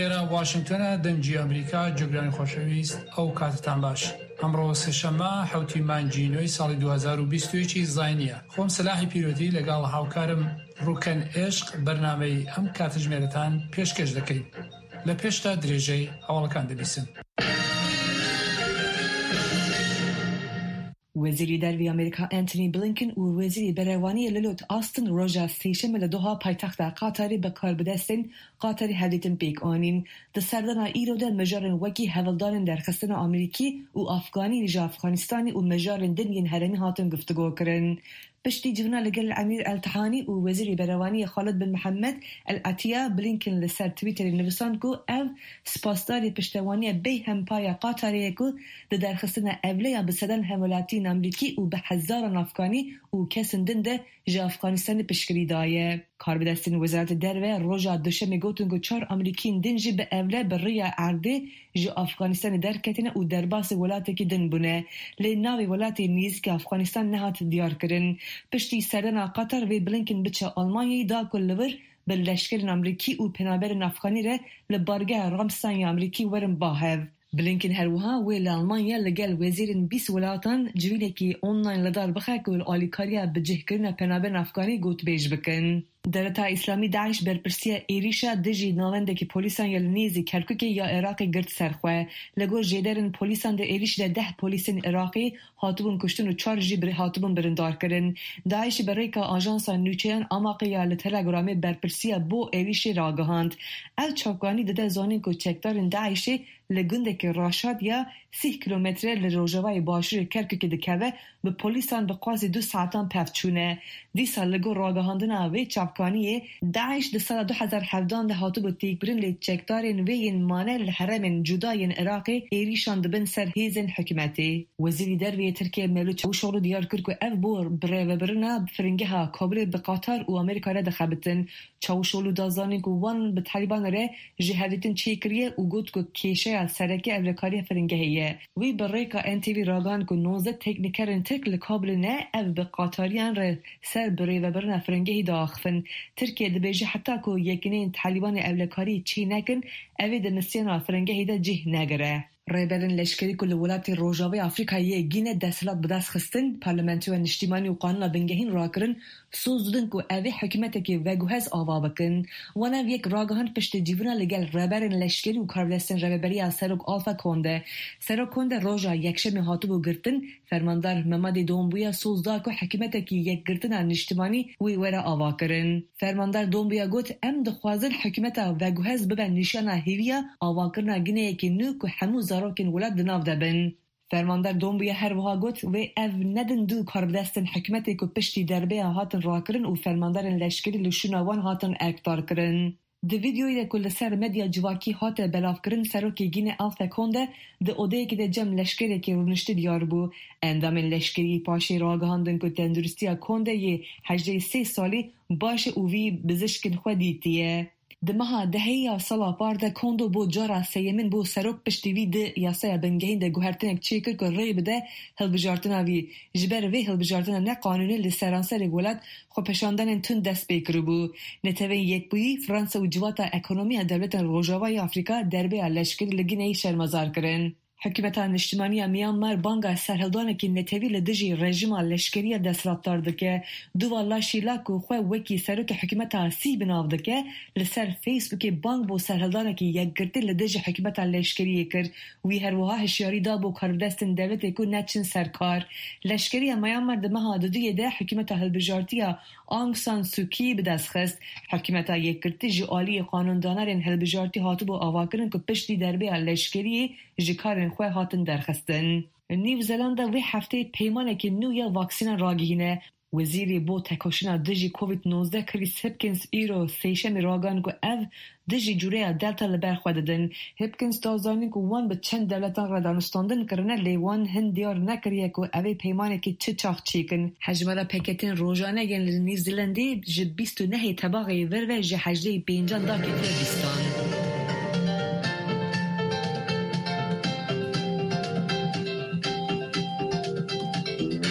لێرە واشنگتۆنە دەنگی ئەمریکا جۆگرانی خۆشەویست ئەو کاتتان باش ئەمڕۆ سێشەممە حوتی مانگی نۆی ساڵی 2021 زاینیە خۆم سەلاحی پیرۆتی لەگەڵ هاوکارم ڕوکەن ئێشق بەرنامەی ئەم کاتژمێرەتان پێشکەش دەکەین لە پێشتا درێژەی هەواڵەکان دەبیسن. وەزیری دەرەوەی ئەمریکا ئەنتۆنی بلینکن و وەزیری بەرەڤانییە للۆید ئاستن ڕۆژا سێشەممە لە دۆها پایتەختە قەتەرێ بە کاربەدەستێن قەتەری هەڤدیتن پێک ئانین. دە سەردانا ئیرۆ دە مژارێن وەکی هەڤڵدانێن دەرخستنا ئەمریکی و ئەفغانی ژە ئەفغانستانی و مژارێن دن yên هەرێمی هاتن گفتوگۆکردن. پشتی جڤینا لەگەل ئەمیر ئەلتهانی و وەزیری بەرەڤانییە خالد بن محەممەد ئەلعەتیە، بلینکن لەسەر تویتەری نووساند کو ئەو سپاسداری پشتەوانیە بێ هەمپایە قەتەرێیە کو دە دەرخستنا ئەڤلەیا بە سەدان هەموڵاتیێن ئەمریکی و بە هەزاران ئەفغانی و کەسن دن دە ژە ئەفغانستانی پشتگیری دایە. کاربەدەستێن وەزارەتە دەرڤە ڕۆژا دوشەمێ گوتن کو چار ئەمریکیێن دن ژی بە ئەڤلە بە ڕێیا ئەردێ ژە ئەفغانستانی دەرکەتنە و دەرباسی وڵاتێکی دن بوونە. لێ ناوێ وڵاتێ نێزیکی ئەفغانستان نەهات دیارکردن. پشتی سەردانا قەتەر ڤێ بلینکن بچە ئەڵمانیای دا کو لە ور بە لەشکرێن ئەمریکی و پەنابەرێن ئەفغانی رە لە بارگەها ڕامستاین یا ئەمریکی وەرن با هەڤ. بلینکن هەروەها وێ لە ئەڵمانیا لەگەل وەزیرێن 20 وڵاتان جڤینێکی ئۆنلاین لەدار بخە کو ئالیکارییا بجیهکردنا پەنابەرێن ئەفغانی گوتبێژ بکەن. دەولەتا ئیسلامی داعش بەرپرسییە ئێریشا دژی ناوەندێکی پۆلیسان یا لە نێزی کەرکوکێ یا عێراقی گرت سەر خوە. لە گۆر ژێدەرن پۆلیسان دە ئێریشدا دە پۆلیسێن عێراقی هاتبوون کوشتن و چار ژی هاتبوون بریندارکردن. داعش بە ڕێکا ئاژانسا نوچەیان ئاماقێ یا لە تەلەگرامێ بەرپرسییە بۆ ئێریشێ راگەهاند. ئەو چاوکانی دەدە زانین کو چەکدارێن داعشێ لە گوندێکی ڕاشاد یا سیه کیلۆمەترە لە ڕۆژاوای باشوورێ کەرکوکێ دکەڤە بە پۆلیسان بە قازی دو ساعەتان پەڤ چوونە. دیسا لە گۆر ڕاگەهاندنا ڤێ چاڤکانیێ، داعش دە ساڵا 2017 دە هاتبوو تێکبرن لێ چەکدارێن ڤێ yên مانە لە هەرێمێن جودا yên عێراقێ ئێریشان دبن سەر هێزێن حکومەتێ. وەزیری دەرڤەیێ ترکیە مەولود چاوشئۆغلو دیار کرد کو ئەڤ بۆ بڕێڤەبرنا فرینگەها کابلێ بە قەتەر و ئەمریکا رە دخەبتن. چاوشئۆغلو دا زانین کو وان بە تالیبان رە ژی هەڤدیتن چێ کریە و گوت کو کێشەیا سەرەکێ ئەڤلەکاریە فرینگەهێ یە. وی بە ڕێکا ئێن تی ڤی راگەهاند کو 19 تێکنیکەرên tirk li Kabulê ne ev bi Qatariyan re ser birêvebirina firingehê diaxivin. Tirkiye dibêje heta ku yekîneyên Talîbanê ewlekariyê çê nekin ev ê di misyona firingehê de cih negire. Rêberên leşkerî ku li welatê Rojavayê Afrîkayê yê Gîne desthilat bi dest xistin, Parlamentoya Niştîmanî û Qanûna Bingehîn rakirin, soz didin ku ev ê hikûmetekê veguhez ava bikin. Wan ev yek ragihand piştî civîna li gel rêberên leşkerî û karbidestên rêveberiya Serok Alpha Conde. Serok Conde roja Yekşemê hatibû girtin, fermandar Mamadi Doumbouya soz da ku hikûmetekî yekgirtina niştimanî wê were avakirin. Fermandar Doumbouya got, Em dixwazin hikûmeta veguhez bibe nîşana hêviya avakirina Gineyekî nû ku hemû zarokên welat di nav de bin. Fermandar Doumbouya her wiha got, Wê ev nedin du karbidestên hikûmetê ku piştî derbeya hatin rakirin û fermandarên leşkerî li şûna wan hatin erkdarkirin. Di vîdeoyê de ku li ser medya civakî hate belavkirin Serokê Gîne Alpha Conde di odeyekê de cem leşkerekî rûniştî diyar bû. Endamên leşkerî paşê ragihandin ku tenduristiya Conde yê 83 salî baş e û wî bizişkên xwe dîtiye. Di meha dehê ya sala par de Kondo bo cara sêyemîn bû serok piştî wî di yasaya bingehîn de guhertinek çêkir ku rê bide hilbijartina wî. Ji ber vê hilbijartina neqanûnî li seranserê welat xwepêşandanên tund dest pê kiribû. Neteweyên Yekbûyî, Fransa û Civata Ekonomiya Dewletên Rojavayê Afrîka derbeya leşkerî li Gineyê şermezar kirin. Hikûmeta Niştimanî ya Myanmar banga serhildanekî netewî li dijî rejîma leşkerî ya desthilatdar dike. Duwa Laşî La ku xwe wekî serokê hikûmeta sî bi nav dike, li ser Facebookê bang bo serhildanekî yekgirtî li dijî hikûmeta leşkeriyê kir. Wî her wiha hişyarî da bo karbidestên dewletê ku neçin ser kar. Leşkeriya Myanmar di meha duduyê de hikûmeta hilbijartî ya Aung San Suu Kyi bi dest xist. Hikûmeta yekgirtî ji aliyê qanûndanerên hilbijartî hatibû avakirin ku piştî derbeya leşkeriyê ji karên xwe hatin derxistin. New Zelanda vê hefteyê peymanekî nû ya vaksînan ragihîne. Wezîrê bo tekoşîna dijî Covid 19 Chris Hipkins îro sêşemê ragihand ku ev dijî cureya Delta li ber xwe didin. Hipkins da zanîn ku wan bi çend dewletan re danûstandin kirine lê wan hin diyar nekiriye ku ev ê peymanekî çi çax çêkin. Hejmara peketên rojane yên li New Zealandê ji 29 ê Tebaxê vir ve ji hejdehê pêncan daketiye bîstan.